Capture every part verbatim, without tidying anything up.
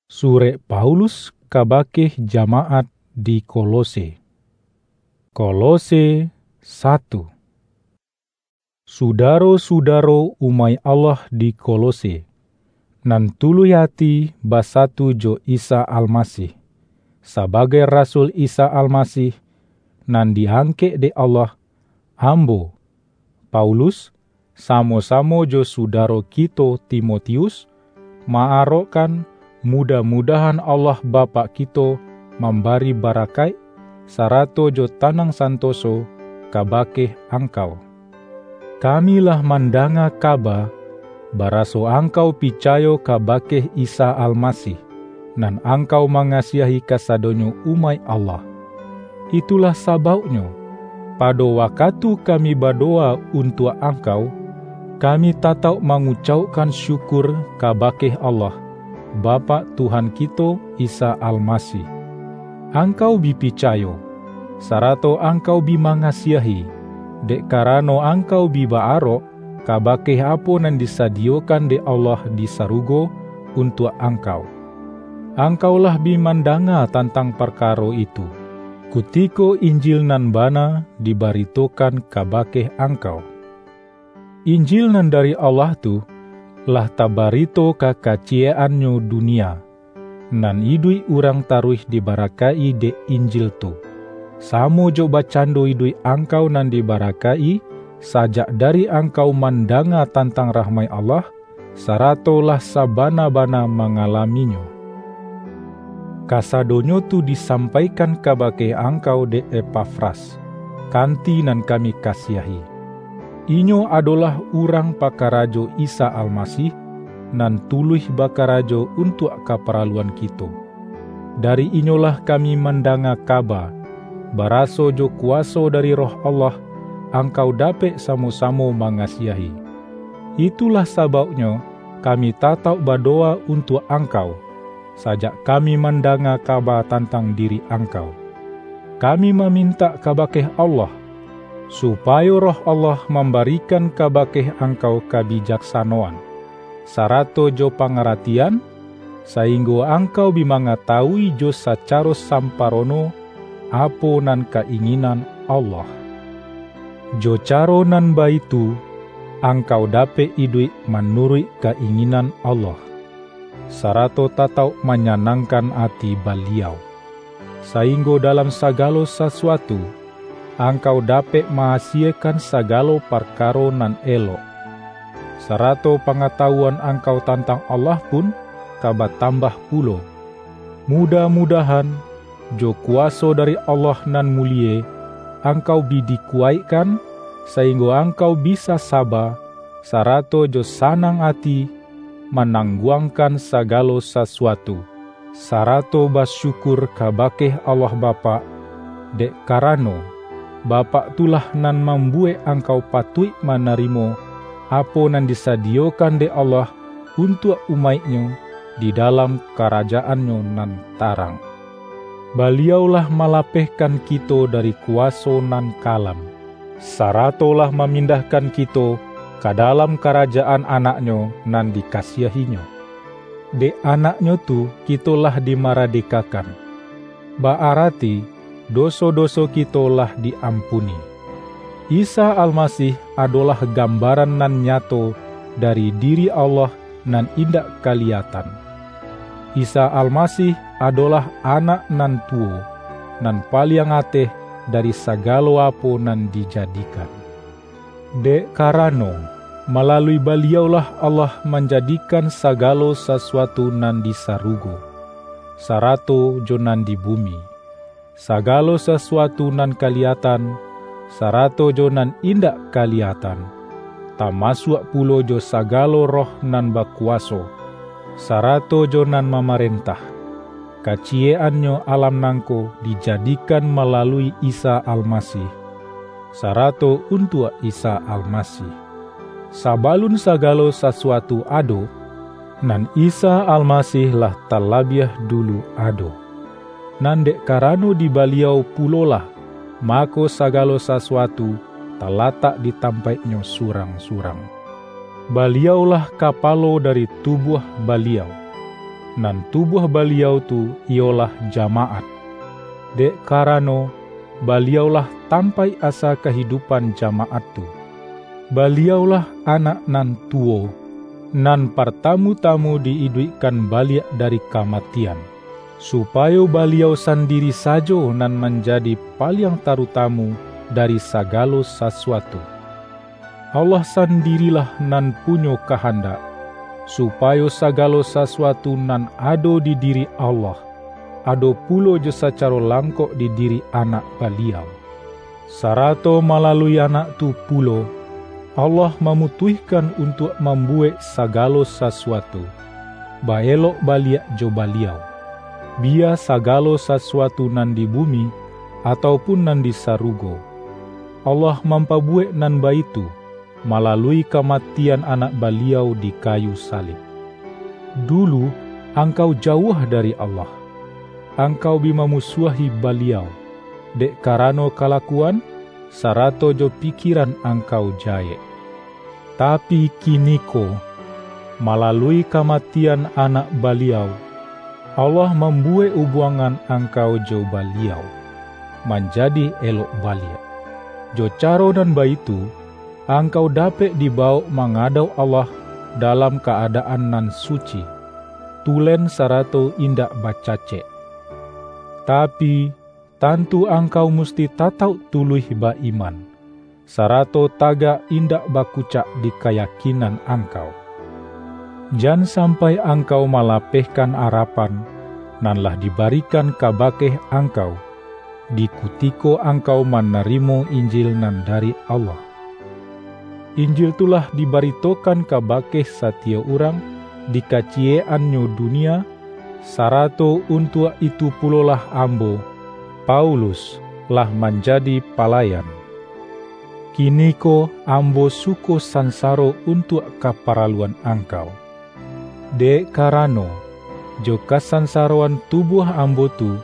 Surek Paulus kabake jamaat di Kolose. Kolose satu. Sudaro-sudaro umaik Allah di Kolose, nan tuluih ati basatu jo Isa Almasih, sabagai rasul Isa Almasih, nan diangkek dek Allah, ambo, Paulus, samo-samo jo sudaro kito Timotius, ma-arokkan, mudah-mudahan Allah Bapak kito mambari barakaik, sarato jo tanang santoso kabake angkau. Kami lah mandanga kaba, baraso angkau picayo kabake Isa Almasih, nan angkau mangasiahi kasadonyo umaik Allah. Itulah sabauknyo, pado wakatu kami badowa untuak angkau, kami tatauk mangucaukkan syukur kabake Allah, Bapak Tuhan kito Isa Almasih. Angkau bi picayo, sarato angkau bi mangasiahi, dek karano angkau bi ba-arok kabake apo nan disadiyokan dek Allah di sarugo untuak angkau. Angkau lah bi mandanga tantang parkaro itu, kutiko Injil nan bana dibaritokan kabake angkau. Injil nan dari Allah tu lah tabarito ka kaciyek-annyo dunia, nan iduik urang taruih dibarakaik-i dek Injil tu, samo jo bakcando iduik angkau nan dibarakaik-i sajak dari angkau mandanga tantang rahmaik Allah, sarato lah sabana-bana mangalaminyo. Kasadonyo tu disampaikan kabake angkau dek Epafras, kanti nan kami kasiahi. Inyo adolah urang pakarajo Isa Almasih, nan tuluih bakarajo untuak kaparaluan kito. Dari inyolah kami mandanga kaba, baraso jo kuwaso dari Roh Allah, angkau dapek samo-samo mangasiahi. Itulah sabauknyo kami tatauk badowa untuak angkau, sajak kami mandanga kaba tantang diri angkau. Kami mamintak kabake Allah, supayo Roh Allah mambarikan kabake angkau kabijaksanoan, sarato jo pangaratian, sainggo angkau bi mangatawui jo sacaro samparono apo nan ka-inginan Allah. Jo caro nan baitu, angkau dapek iduik manuruik ka-inginan Allah, sarato tatauk manyanangkan ati Baliau, sainggo dalam sagalo sasuatu, angkau dapek ma-asiekan sagalo parkaro nan elok, sarato pangatawuan angkau tantang Allah pun ka batambah pulo. Mudah-mudahan, jo kuwaso dari Allah nan mulie, angkau bi dikuwaikkan, sainggo angkau bisa saba, sarato jo sanang ati, manangguangkan sagalo sasuatu, sarato basyukur kabake Allah Bapak, dek karano, Bapak tu lah nan mambuwek angkau patuik manarimo apo nan disadiyokan dek Allah untuak umaik-Nyo di dalam karajaan-Nyo nan tarang. Baliau lah malapehkan kito dari kuwaso nan kalam, sarato lah mamindahkan kito ka dalam karajaan Anak-Nyo nan dikasiahi-Nyo. Dek Anak-Nyo tu kito lah dimaradekakan, ba-arati doso-doso kito lah di-ampuni. Isa Almasih adolah gambaran nan nyato dari diri Allah nan indak kaliyatan. Isa Almasih adolah Anak nan tuwo, nan paliang ateh dari sagalo apo nan dijadikan. Dek karano, malalui Baliau-lah Allah manjadikan sagalo sasuatu nan di sarugo, sarato jo nan di bumi, sagalo sasuatu nan kaliyatan, sarato jo nan indak kaliyatan, tamasuak pulo jo sagalo roh nan bakuwaso, sarato jo nan mamarentah. Kaciyek-annyo alam nangko dijadikan malalui Isa Almasih, sarato untuak Isa Almasih. Sabalun sagalo sasuatu ado, nan Isa Almasih lah talabiah dulu ado. Nan dek karano di Baliau pulolah, mako sagalo sasuatu talatak di tampaiknyo surang-surang. Baliau-lah kapalo dari tubuah Baliau, nan tubuah Baliau tu iyolah jamaat. Dek karano, Baliaulah tampaik asa kahidupan jamaat tu. Baliaulah Anak nan tuwo, nan partamu-tamu di-iduikkan baliak dari kamatian, supayo Baliau sandiri sajo nan manjadi paliang tarutamu dari sagalo sasuatu. Allah sandirilah nan punyo kahandak, supayo sagalo sasuatu nan ado di diri Allah, ado pulo jo sacaro langkok di diri Anak Baliau. Sarato malalui Anak tu pulo, Allah mamutuihkan untuak mambuwek sagalo sasuatu, baelok baliak jo Baliau, biya sagalo sasuatu nan di bumi, atau pun nan di sarugo. Allah mampabuwek nan baitu, malalui kamatian Anak Baliau di kayu salib. Dulu, angkau jauah dari Allah. Angkau bi mamusuahi Baliau, dek karano kalakuan, sarato jo pikiran angkau jayek. Tapi kiniko, malalui kamatian Anak Baliau, Allah mambuwek ubuangan angkau jo Baliau manjadi elok baliak. Jo caro nan baitu, angkau dapek dibawok mangadauk Allah dalam ka-adaan nan suci, tulen sarato indak bacacek. Tapi, tantu angkau musti tatauk tuluih ba-iman, sarato tagak indak bakucak di kayakinan angkau. Jan sampai angkau malapehkan arapan nan lah dibarikan kabake angkau, di kutiko angkau manarimo Injil nan dari Allah. Injil tu lah dibaritokan kabake satiyok urang di kaciyek-annyo dunia, sarato untuak itu pulolah ambo, Paulus, lah manjadi palayan. Kiniko ambo suko sansaro untuak kaparaluan angkau. Dek karano, jo kasansaroan tubuah ambo tu,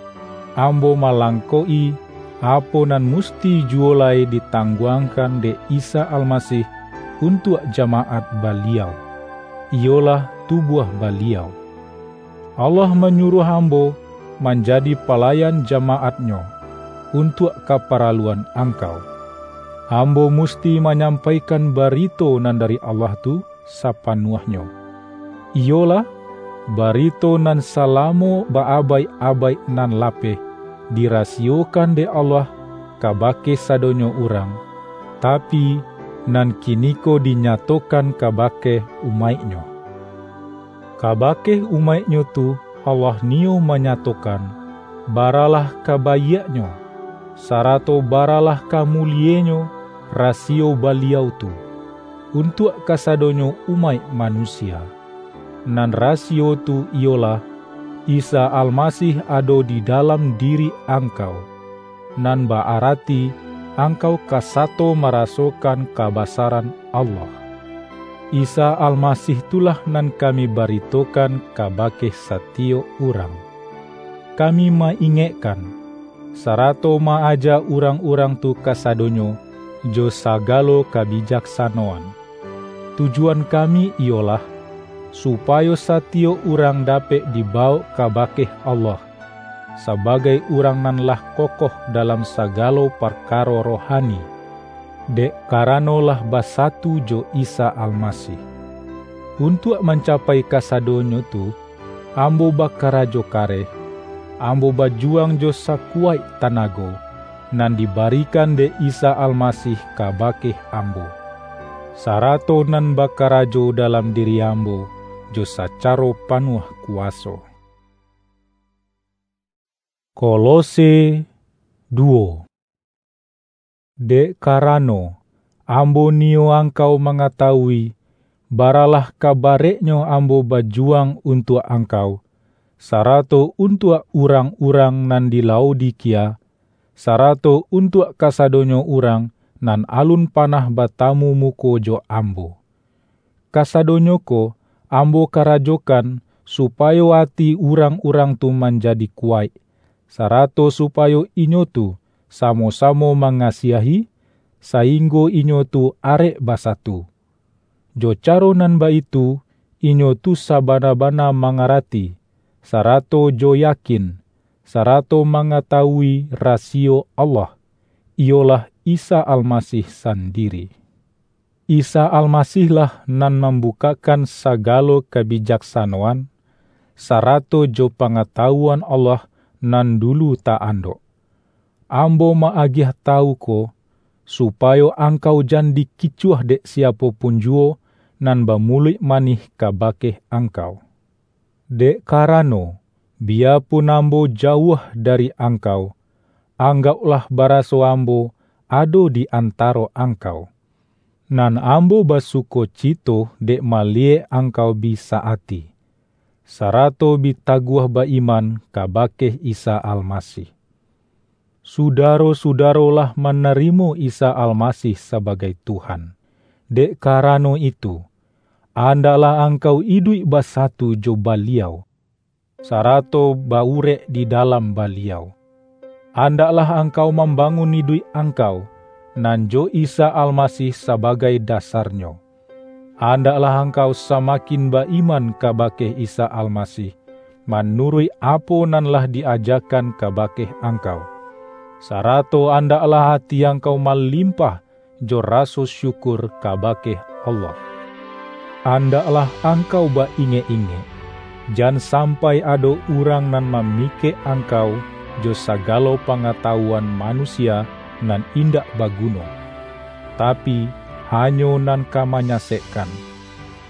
ambo malangkok-i, apo nan musti juwo lai ditangguangkan dek Isa Almasih untuak jamaat Baliau, iyolah tubuah Baliau. Allah manyuruah ambo manjadi palayan jamaat-Nyo, untuak kaparaluan angkau. Ambo musti manyampaikan barito nan dari Allah tu sapanuahnyo, iyolah, barito nan salamo baabaik-abaik nan lapeh dirasiyokan dek Allah kabake sadonyo urang, tapi, nan kiniko dinyatokan kabake umaik-Nyo. Kabake umaik-Nyo tu Allah niyo manyatokan, baralah kabaiak-Nyo, sarato baralah ka mulienyo rasiyo Baliau tu, untuak kasadonyo umaik manusia. Nan rasiyo tu iyolah, Isa Almasih ado di dalam diri angkau, nan ba-arati angkau ka sato marasokan kabasaran Allah. Isa Almasih tu lah nan kami baritokan kabake satiyok urang. Kami ma-ingekkan, sarato ma-aja urang-urang tu kasadonyo jo sagalo kabijaksanoan. Tujuan kami iyolah, supayo satiyok urang dapek dibawok kabake Allah, sabagai urang nan lah kokoh dalam sagalo parkaro rohani, dek karano lah basatu jo Isa Almasih. Untuak mancapai kasadonyo tu, ambo bakarajo kareh, ambo bajuwang jo sakuwaik tanago, nan dibarikan dek Isa Almasih kabake ambo, sarato nan bakarajo dalam diri ambo jo sacaro panuah kuwaso. Kolose duwo. Dek karano, ambo niyo angkau mangatawui, baralah ka bareknyo ambo bajuwang untuak angkau, sarato untuak urang-urang nan di Laodikia, sarato untuak kasadonyo urang nan alun panah batamu muko jo ambo. Kasadonyo ko ambo karajokan, supayo ati urang-urang tu manjadi kuwaik, sarato supayo inyo tu samo-samo mangasiahi, sainggo inyo tu arek basatu. Jo caro nan baitu, inyo tu sabana-bana mangarati, sarato jo yakin, sarato mangatawui rasiyo Allah, iyolah Isa Almasih sandiri. Isa Almasihlah nan mambukakkan sagalo kabijaksanoan, sarato jo pangatawuan Allah nan dulu ta-andok. Ambo ma-agiah tawu ko, supayo angkau jan dikicuah dek siapo pun juwo nan bamuluik manih kabake angkau. Dek karano, biyapun ambo jauah dari angkau, anggaulah baraso ambo ado di antaro angkau. Nan ambo basukocito dek maliyek angkau bi sa-ati, sarato bi taguah ba-iman kabake Isa Almasih. Sudaro-sudaro lah manarimo Isa Almasih sabagai Tuhan. Dek karano itu, andaklah angkau iduik basatu jo Baliau, sarato ba-urek di dalam Baliau. Andaklah angkau mambangun iduik angkau, nan jo Isa Almasih sabagai dasarnyo. Andaklah angkau samakin ba-iman kabake Isa Almasih, manuruik apo nan lah di-ajakan kabake angkau, sarato andaklah ati angkau malimpah jo raso syukur kabake Allah. Andaklah angkau ba-ingek-ingek, jan sampai ado urang nan mamikek angkau jo sagalo pangatawuan manusia nan indak baguno, tapi, hanyo nan ka manyasekkan.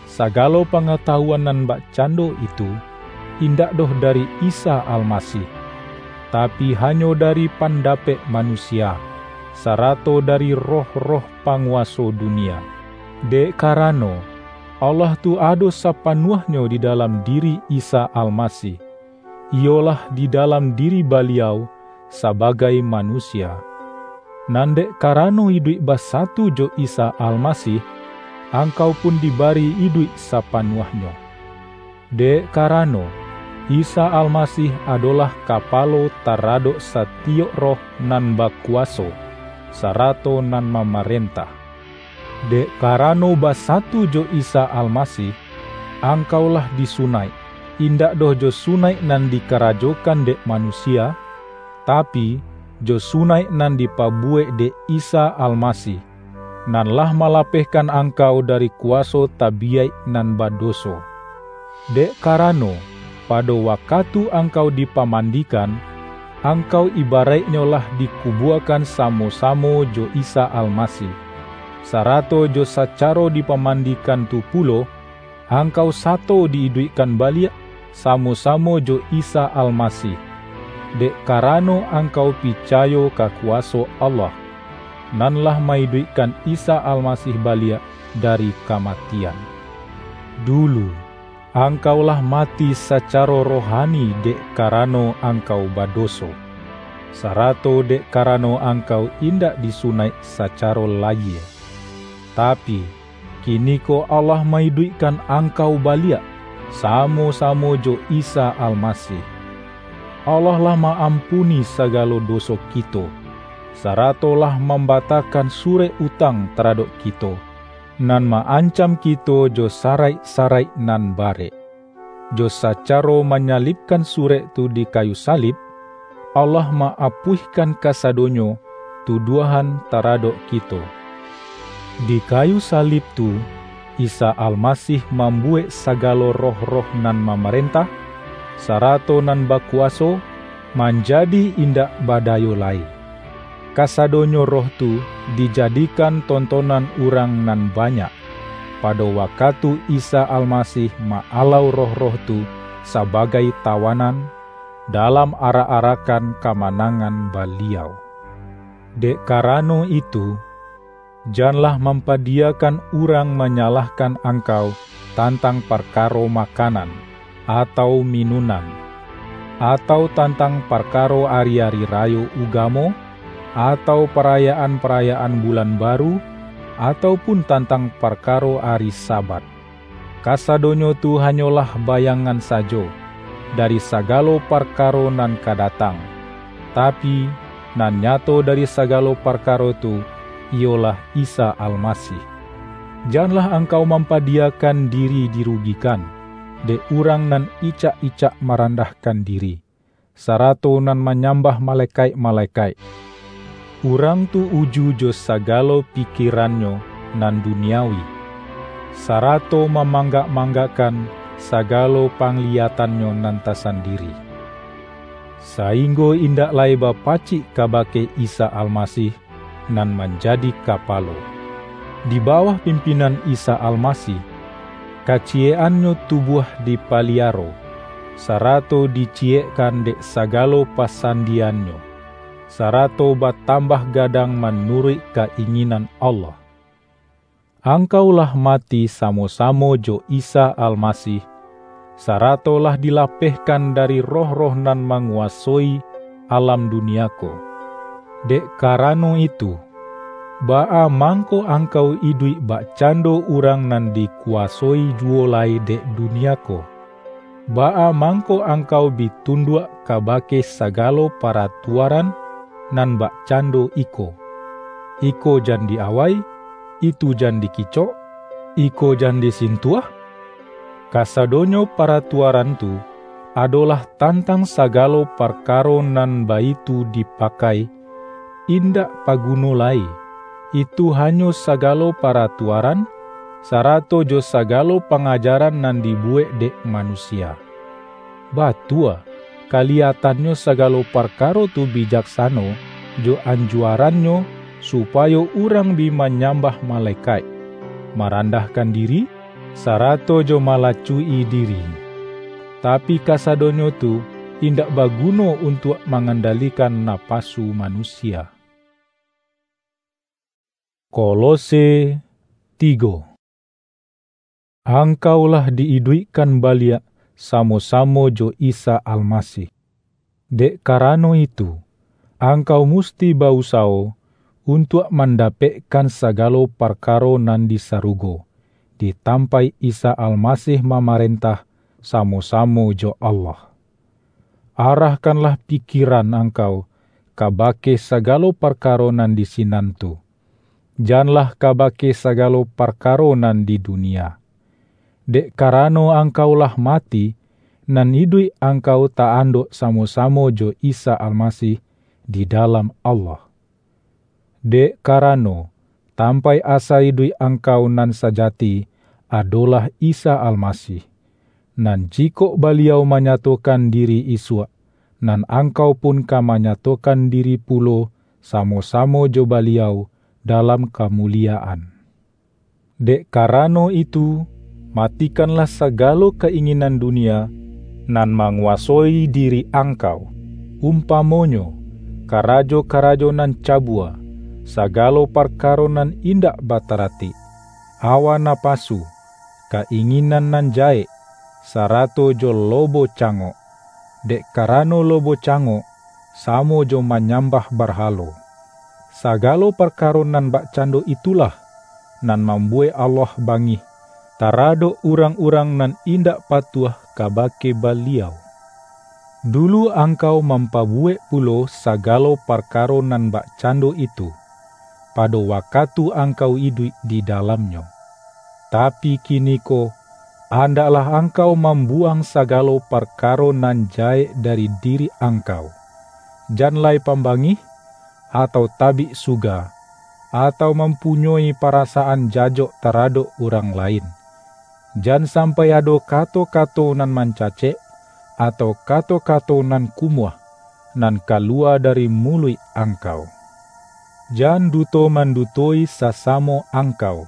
Sagalo pangatawuan nan bakcando itu, indak doh dari Isa Almasih, tapi, hanyo dari pandapek manusia, sarato dari roh-roh panguwaso dunia. Dek karano, Allah tu ado sapanuahnyo di dalam diri Isa Almasih, iyolah di dalam diri Baliau sabagai manusia. Nan dek karano iduik basatu jo Isa Almasih, angkau pun dibari iduik sapanuahnyo. Dek karano, Isa Almasih adolah kapalo taradok satiyok roh nan bakuwaso, sarato nan mamarentah. Dek karano basatu jo Isa Almasih, angkau lah disunaik, indak doh jo sunaik nan dikarajokan dek manusia, tapi, jo sunaik nan dipabuwek dek Isa Almasih, nan lah malapehkan angkau dari kuwaso tabiyaik nan badoso. Dek karano, pado wakatu angkau dipamandikan, angkau ibaraiknyo lah dikubuakan samo-samo jo Isa Almasih, sarato jo sacaro dipamandikan tu pulo, angkau sato di-iduikkan baliak samo-samo jo Isa Almasih, dek karano angkau picayo ka kuwaso Allah, nan lah ma-iduikkan Isa Almasih baliak dari kamatian. Dulu, angkau lah mati sacaro rohani dek karano angkau badoso, sarato dek karano angkau indak disunaik sacaro layie. Tapi, kiniko Allah ma-iduikkan angkau baliak, samo-samo jo Isa Almasih. Allah lah ma-ampuni sagalo doso kito, sarato lah mambatahkan surek utang taradok kito, nan ma-ancam kito jo saraik-saraik nan barek. Jo sacaro manyalibkan surek tu di kayu salib, Allah ma-apuihkan kasadonyo tuduahan taradok kito. Di kayu salib tu, Isa Almasih mambuwek sagalo roh-roh nan mamarentah, sarato nan bakuwaso, manjadi indak badayo lai. Kasadonyo roh tu dijadikan tontonan urang nan banyak, pado wakatu Isa Almasih ma-alau roh-roh tu sabagai tawanan, dalam arak-arakan kamanangan Baliau. Dek karano itu, janlah mampadiyakan urang manyalahkan angkau tantang parkaro makanan, atau minunan, atau tantang parkaro ari-ari rayo ugamo, atau parayaan-parayaan bulan baru, atau pun tantang parkaro ari Sabat. Kasadonyo tu hanyolah bayangan sajo dari sagalo parkaro nan ka datang, tapi, nan nyato dari sagalo parkaro tu, iyolah Isa Almasih. Janlah angkau mampadiyakan diri dirugikan, dek urang nan icak-icak marandahkan diri, sarato nan manyambah malekaik-malekaik. Urang tu uju jo sagalo pikirannyo nan duniawi, sarato mamanggak-manggakkan sagalo pangliyatannyo nan tasandiri, sainggo indak lai bapacik kabake Isa Almasih, nan manjadi Kapalo. Di bawah pimpinan Isa Almasih, kaciyek-annyo tubuah dipaliaro, sarato diciyekkan dek sagalo pasandiannyo, sarato batambah gadang manuruik ka-inginan Allah. Angkau lah mati samo-samo jo Isa Almasih, sarato lah dilapehkan dari roh-roh nan manguwasoi alam dunia ko. Dek karano itu, baa mangko angkau iduik bakcando urang nan dikuwasoi juwo lai dek dunia ko? Baa mangko angkau bi tunduak kabake sagalo paratuaran nan bakcando iko, "Iko jan di-awai, itu jan dikicok, iko jan disintuah"? Kasadonyo paratuaran tu adolah tantang sagalo parkaro nan baitu dipakai, indak paguno lai. Itu hanyo sagalo paratuaran, sarato jo sagalo pangajaran nan dibuwek dek manusia. Batua, kaliyatannyo sagalo parkaro tu bijaksano jo anjuarannyo, supayo urang bi manyambah malekaik, marandahkan diri, sarato jo malacuik-i diri. Tapi kasadonyo tu indak baguno untuak mangandalikan napasu manusia. Kolose tigo. Angkau lah di-iduikkan baliak samo-samo jo Isa Almasih. Dek karano itu, angkau musti ba-usawo untuak mandapekkan sagalo parkaro nan di sarugo, di tampaik Isa Almasih mamarentah samo-samo jo Allah. Arahkanlah pikiran angkau kabake sagalo parkaro nan di sinan tu, janlah kabake sagalo parkaro nan di dunia. Dek karano angkau lah mati, nan iduik angkau ta-andok samo-samo jo Isa Almasih di dalam Allah. Dek karano, tampaik asa iduik angkau nan sajati adolah Isa Almasih, nan jikok Baliau manyatokan diri isuak, nan angkau pun ka manyatokan diri pulo samo-samo jo Baliau dalam kamuliyaan. Dek karano itu, matikanlah sagalo ka-inginan dunia nan manguwasoi diri angkau, umpamonyo, karajo-karajo nan cabua, sagalo parkaro nan indak bataratik, awa napasu, ka-inginan nan jahek, sarato jo lobo cangok. Dek karano lobo cangok samo jo manyambah barhalo. Sagalo parkaro nan bakcando itulah nan mambuwek Allah bangih taradok urang-urang nan indak patuah kabake Baliau. Dulu angkau mampabuwek pulo sagalo parkaro nan bakcando itu, pado wakatu angkau iduik di dalamnyo. Tapi kiniko, andaklah angkau mambuwang sagalo parkaro nan jahek dari diri angkau. Jan lai pambangih, atau tabik suga, atau mampunyoi parasaan jajok taradok urang lain. Jan sampai ado kato-kato nan mancacek, atau kato-kato nan kumuah, nan kaluwa dari muluik angkau. Jan duto-mandutoi sasamo angkau,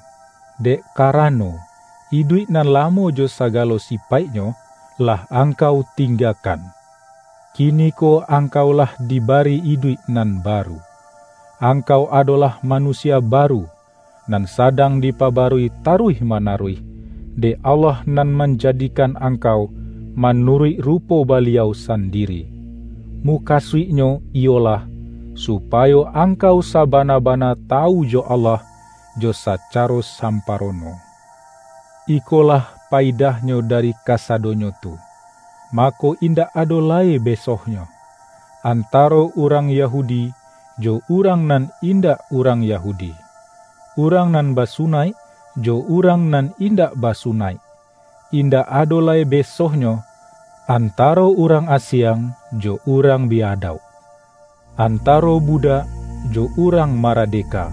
dek karano, iduik nan lamo jo sagalo sipaiknyo lah angkau tinggakan. Kiniko angkau lah dibari iduik nan baru. Angkau adolah manusia baru, nan sadang dipabarui taruih-manaruih, dek Allah nan manjadikan angkau manuruik rupo Baliau sandiri. Mukasuiknyo iyolah, supayo angkau sabana-bana tawu jo Allah jo sacaro samparono. Ikolah paidahnyo dari kasadonyo tu, mako indak ado lai besohnyo, antaro urang Yahudi jo urang nan indak urang Yahudi, urang nan basunaik jo urang nan indak basunaik, indak ado lai besohnyo antaro urang asiang jo urang biadauk, antaro budak jo urang maradeka,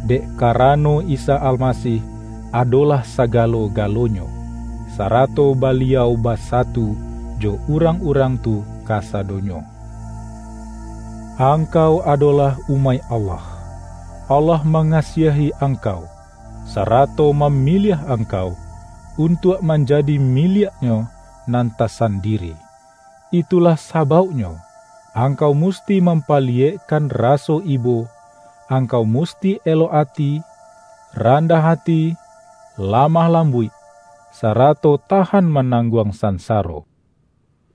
dek karano Isa Almasih adolah sagalo-galonyo, sarato Baliau basatu jo urang-urang tu kasadonyo. Angkau adolah umaik Allah. Allah mangasiahi angkau, sarato mamiliah angkau untuak manjadi miliak-Nyo nan tasandiri. Itulah sabauknyo, angkau musti mampaliyekkan raso ibo, angkau musti elok ati, randah ati, lamah lambuik, sarato tahan manangguang sansaro.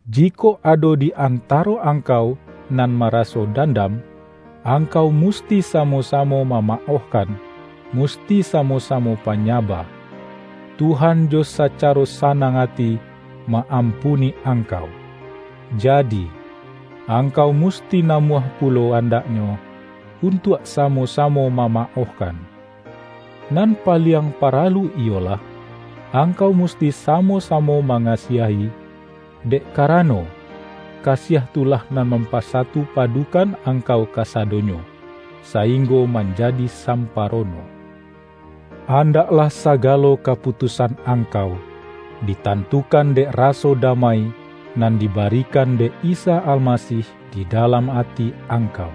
Jikok ado di antaro angkau nan maraso dandam, angkau musti samo-samo mamaohkan, musti samo-samo panyaba. Tuhan jo sacaro sanang ati ma-ampuni angkau. Jadi, angkau musti namuah pulo andaknyo untuak samo-samo mamaohkan. Nan paliang paralu iyolah, angkau musti samo-samo mangasiahi, dek karano, kasiah tu lah nan mampasatu padukan angkau kasadonyo, sainggo manjadi samparono. Andaklah sagalo kaputusan angkau ditantukan dek raso damai nan dibarikan dek Isa Almasih di dalam ati angkau.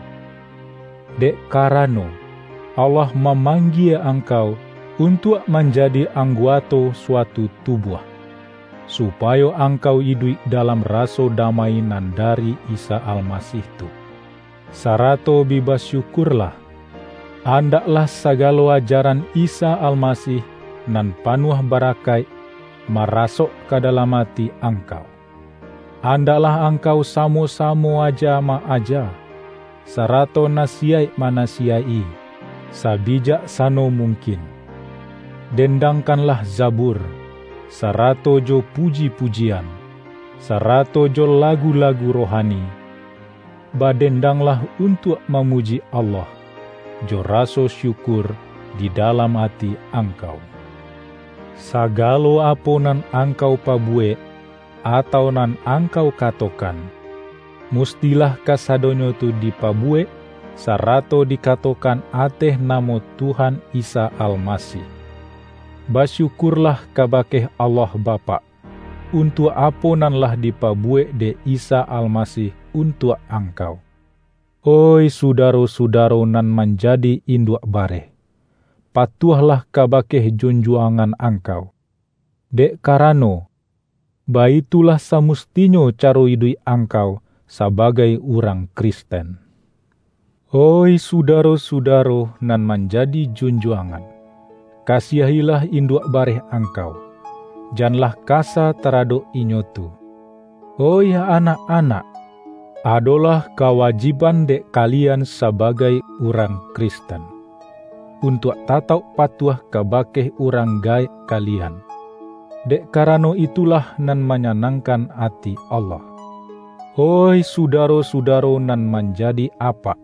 Dek karano, Allah mamanggie angkau untuak manjadi angguato suatu tubuah, supayo angkau iduik dalam raso damai nan dari Isa Almasih tu. Sarato bi basyukurlah. Andaklah sagalo ajaran Isa Almasih nan panuah barakaik marasok ka dalam ati angkau. Andaklah angkau samo-samo aja ma-aja, sarato nasiyaik manasiyaik-i, sabijaksano mungkin. Dendangkanlah zabur, sarato jo puji-pujian, sarato jo lagu-lagu rohani. Badendanglah untuak mamuji Allah, jo raso syukur di dalam ati angkau. Sagalo apo nan angkau pabuwek, atau nan angkau katokan, mustilah kasadonyo tu dipabuwek, sarato dikatokan ateh namo Tuhan Isa Almasih. Basyukurlah kabake Allah Bapak, untuak apo nan lah dipabuwek dek Isa Almasih untuak angkau. Oih sudaro-sudaro nan manjadi induak bareh, patuahlah kabake junjuangan angkau. Dek karano, baitulah samustinyo caro iduik angkau sabagai urang Kristen. Oih sudaro-sudaro nan manjadi junjuangan, kasiahilah induak bareh angkau, janlah kasa taradok inyo tu. Oih anak-anak, adolah kawajiban dek kalian sabagai urang Kristen, untuak tatauk patuah kabake urang gaek kalian, dek karano itulah nan manyanangkan ati Allah. Oih sudaro-sudaro nan manjadi apak,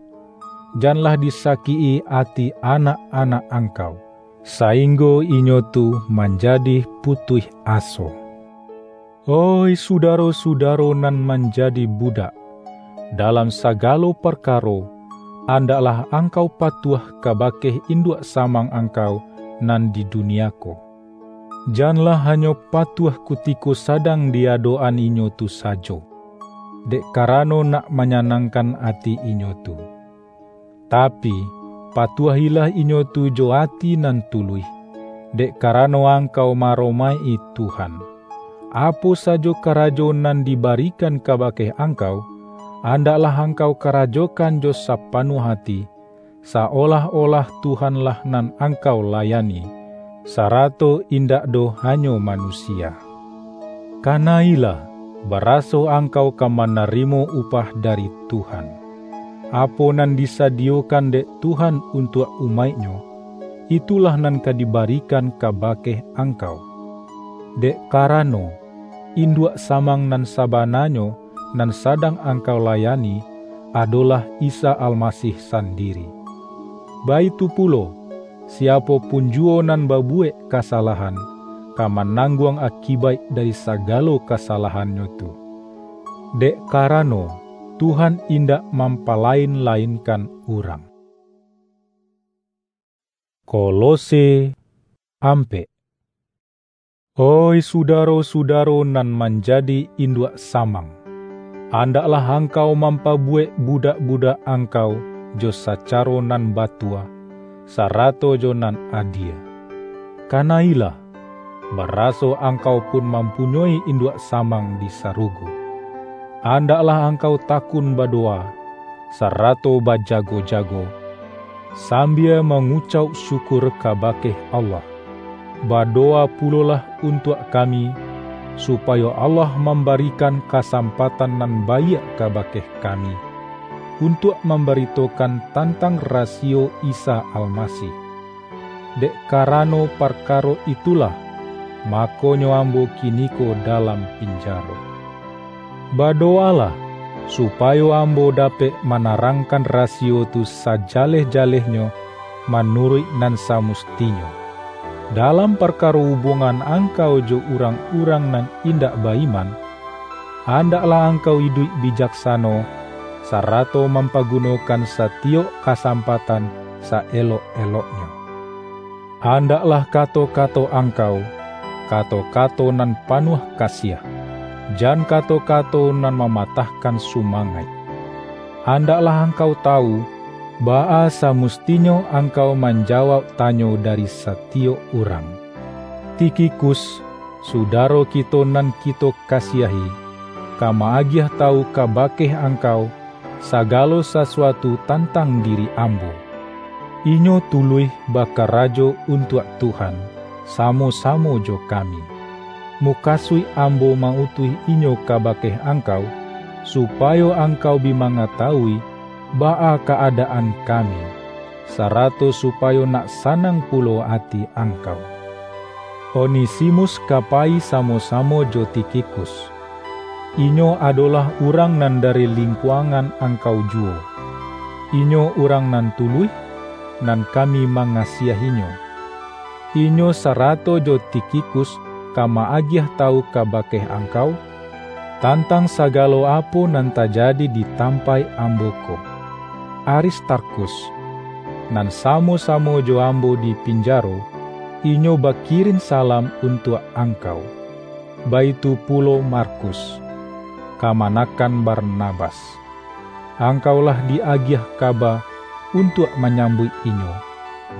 janlah disakik-i ati anak-anak angkau, sainggo inyo tu manjadi putuih aso. Oih sudaro-sudaro nan manjadi budak, dalam sagalo parkaro, andaklah angkau patuah kabake induak samang angkau nan di dunia ko. Janlah hanyo patuah kutiko sadang di adok-an inyo tu sajo, dek karano nak manyanangkan ati inyo tu. Tapi, patuahilah inyo tu jo ati nan tuluih, dek karano angkau maaromaik-i Tuhan. Apo sajo karajo nan dibarikan kabake angkau, andaklah angkau karajokan jo sapanuah ati, saolah-olah Tuhanlah nan angkau layani, sarato indak doh hanyo manusia. Kana-ilah, baraso angkau ka manarimo upah dari Tuhan. Apo nan disadiyokan dek Tuhan untuak umaik-Nyo, itulah nan ka dibarikan kabake angkau. Dek karano, induak samang nan sabananyo nan sadang angkau layani, adolah Isa Almasih sandiri. Baitu pulo, siapo pun juwo nan babuwek kasalahan, ka manangguang akibaik dari sagalo kasalahannyo tu. Dek karano, Tuhan indak mampalain-lainkan urang. Kolose ampek. Oih sudaro-sudaro nan manjadi induak samang, andaklah angkau mampabuwek budak-budak angkau jo sacaro nan batua, sarato jo nan adie. Kana-ilah, baraso angkau pun mampunyoi induak samang di sarugo. Andaklah angkau takun badowa, sarato bajago-jago, sambia mangucauk syukur kabake Allah. Badowa pulolah untuak kami, supayo Allah mambarikan kasampatan nan baiak kabake kami, untuak mambaritokan tantang rasiyo Isa Almasih. Dek karano parkaro itulah, makonyo ambo kiniko dalam pinjaro. Badowalah, supayo ambo dapek manarangkan rasiyo tu sajaleh-jalehnyo manuruik nan samustinyo. Dalam parkaro hubungan angkau jo urang-urang nan indak ba-iman, andaklah angkau iduik bijaksano, sarato mampagunokan satiyok kasampatan saelok-eloknyo. Andaklah kato-kato angkau, kato-kato nan panuah kasiah, jan kato-kato nan mamatahkan sumangaik. Andaklah angkau tawu, baa samustinyo angkau manjawauk tanyo dari satiyok urang. Tikhikus, sudaro kito nan kito kasiahi, ka ma-agiah tawu kabake angkau, sagalo sasuatu tantang diri ambo. Inyo tuluih bakarajo untuak Tuhan, samo-samo jo kami. Mukasuik ambo ma-utuih inyo kabake angkau, supayo angkau bi mangatawui baa ka-adaan kami, sarato supayo nak sanang pulo ati angkau. Onesimus ka payi samo-samo jo Tikhikus. Inyo adolah urang nan dari lingkuangan angkau juwo. Inyo urang nan tuluih, nan kami mangasiahinyo. Inyo sarato jo Tikhikus ka ma-agiah tawu kabake angkau, tantang sagalo apo nan tajadi di tampaik ambo ko. Aristarkhus, nan samo-samo jo ambo di pinjaro, inyo bakirin salam untuak angkau. Baitu pulo Markus, kamanakan Barnabas. Angkau lah di-agiah kaba untuak manyambuik inyo,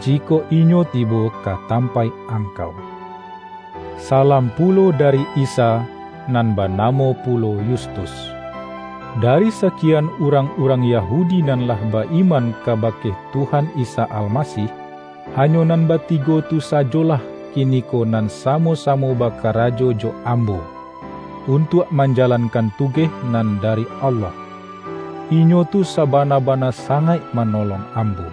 jikok inyo tibo ka tampaik angkau. Salam pulo dari Isa, nan banamo pulo Yustus. Dari sakian urang-urang Yahudi nan lah ba-iman kabake Tuhan Isa Almasih, hanyo nan batigo tu sajolah kiniko nan samo-samo bakarajo jo ambo, untuak manjalankan tugeh nan dari Allah. Inyo tu sabana-bana sangaik manolong ambo.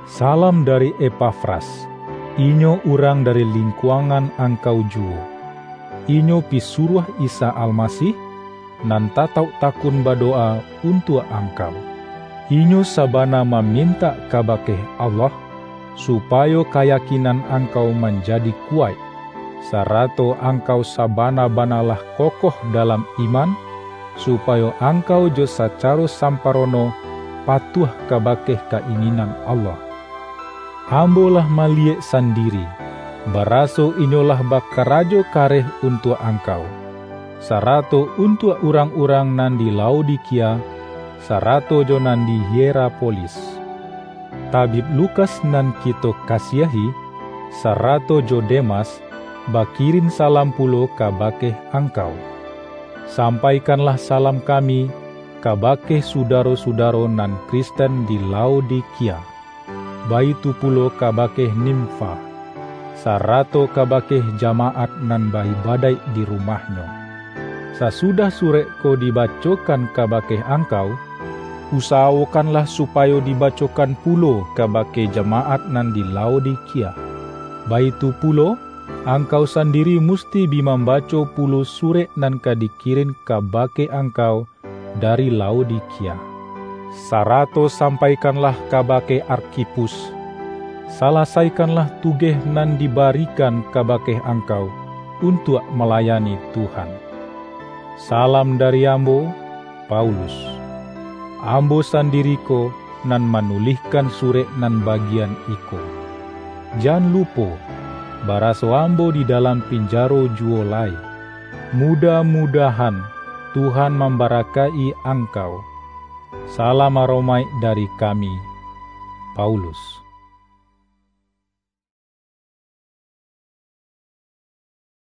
Salam dari Epafras. Inyo urang dari lingkuangan angkau juwo. Inyo pisuruah Isa Almasih, nan tatauk takun badowa untuak angkau. Inyo sabana mamintak kabake Allah, supayo kayakinan angkau manjadi kuwaik, sarato angkau sabana-bana lah kokoh dalam iman, supayo angkau jo sacaro samparono patuah kabake ka-inginan Allah. Ambo lah maliyek sandiri, baraso inyo lah bakarajo kareh untuak angkau, sarato untuak urang-urang nan di Laodikia, sarato jo nan di Hierapolis. Tabib Lukas nan kito kasiahi, sarato jo Demas, bakirin salam pulo kabake angkau. Sampaikanlah salam kami kabake sudaro-sudaro nan Kristen di Laodikia, baitu pulo kabake Nimfa, sarato kabake jamaat nan ba-ibadaik di rumahnyo. Sasudah surek ko dibacokan kabake angkau, usawokanlah supayo dibacokan pulo kabake jamaat nan di Laodikia. Baitu pulo, angkau sandiri musti bi mambaco pulo surek nan ka dikirin kabake angkau dari Laodikia. Sarato sampaikanlah kabake Arkhipus, salasaikanlah tugeh nan dibarikan kabake angkau untuak malayani Tuhan. Salam dari ambo, Paulus. Ambo sandiri ko nan manulihkan surek nan bagian iko. Jan lupo, baraso ambo di dalam pinjaro juwo lai. Mudah-mudahan Tuhan mambarakaik angkau. Salam aromaik dari kami, Paulus.